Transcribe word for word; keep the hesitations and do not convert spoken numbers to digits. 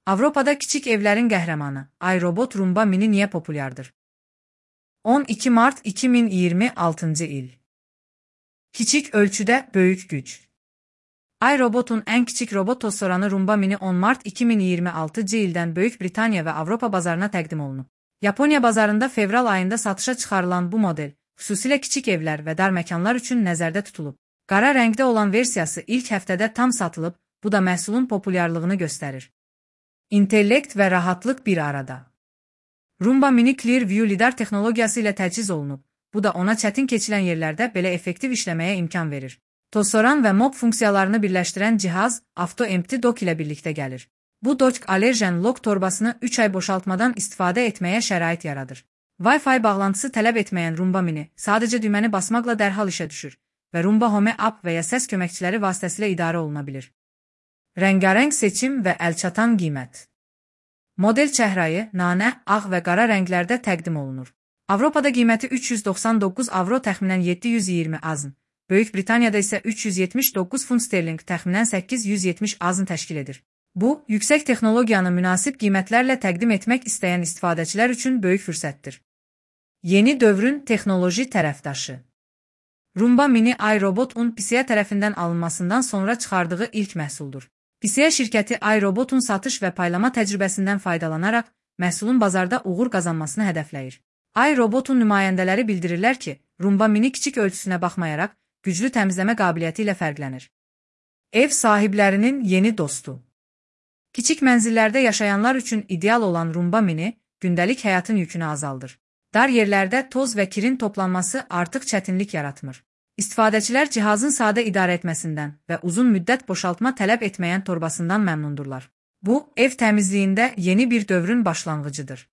Avropada kiçik evlərin qəhrəmanı, iRobot Roomba Mini niyə populyardır? on iki mart iki min iyirmi altıncı il. Kiçik ölçüdə böyük güc. iRobot'un ən kiçik robot tozsoranı Roomba Mini on mart iki min iyirmi altıncı ildən Böyük Britaniya və Avropa bazarına təqdim olunub. Yaponiya bazarında fevral ayında satışa çıxarılan bu model, xüsusilə kiçik evlər və dar məkanlar üçün nəzərdə tutulub. Qara rəngdə olan versiyası ilk həftədə tam satılıb, bu da məhsulun populyarlığını göstərir. İntellekt və rahatlıq bir arada. Roomba Mini Clearview lidar texnologiyası ilə təchiz olunub, bu da ona çətin keçilən yerlərdə belə effektiv işləməyə imkan verir. Tozsoran və mop funksiyalarını birləşdirən cihaz Auto Empty Dock ilə birlikdə gəlir. Bu dock allergen lock torbasını üç ay boşaltmadan istifadə etməyə şərait yaradır. Wi-Fi bağlantısı tələb etməyən Roomba Mini sadəcə düyməni basmaqla dərhal işə düşür və Roomba Home App və ya səs köməkçiləri vasitəsilə idarə oluna bilir. Rəngarəng seçim və əlçatan qiymət. Model çəhrayı, nanə, ağ və qara rənglərdə təqdim olunur. Avropada qiyməti üç yüz doxsan doqquz avro təxminən yeddi yüz iyirmi azn, Böyük Britaniyada isə üç yüz yetmiş doqquz funt sterling təxminən səkkiz yüz yetmiş azn təşkil edir. Bu, yüksək texnologiyanı münasib qiymətlərlə təqdim etmək istəyən istifadəçilər üçün böyük fürsətdir. Yeni dövrün texnoloji tərəfdaşı. Roomba Mini iRobot-un P C A tərəfindən alınmasından sonra çıxardığı ilk məhsuldur. P C A şirkəti iRobot-un satış və paylama təcrübəsindən faydalanaraq məhsulun bazarda uğur qazanmasını hədəfləyir. iRobot-un nümayəndələri bildirirlər ki, Roomba Mini kiçik ölçüsünə baxmayaraq güclü təmizləmə qabiliyyəti ilə fərqlənir. Ev sahiblərinin yeni dostu. Kiçik mənzillərdə yaşayanlar üçün ideal olan Roomba Mini gündəlik həyatın yükünü azaldır. Dar yerlərdə toz və kirin toplanması artıq çətinlik yaratmır. İstifadəçilər cihazın sadə idarə etməsindən və uzun müddət boşaltma tələb etməyən torbasından məmnundurlar. Bu, ev təmizliyində yeni bir dövrün başlanğıcıdır.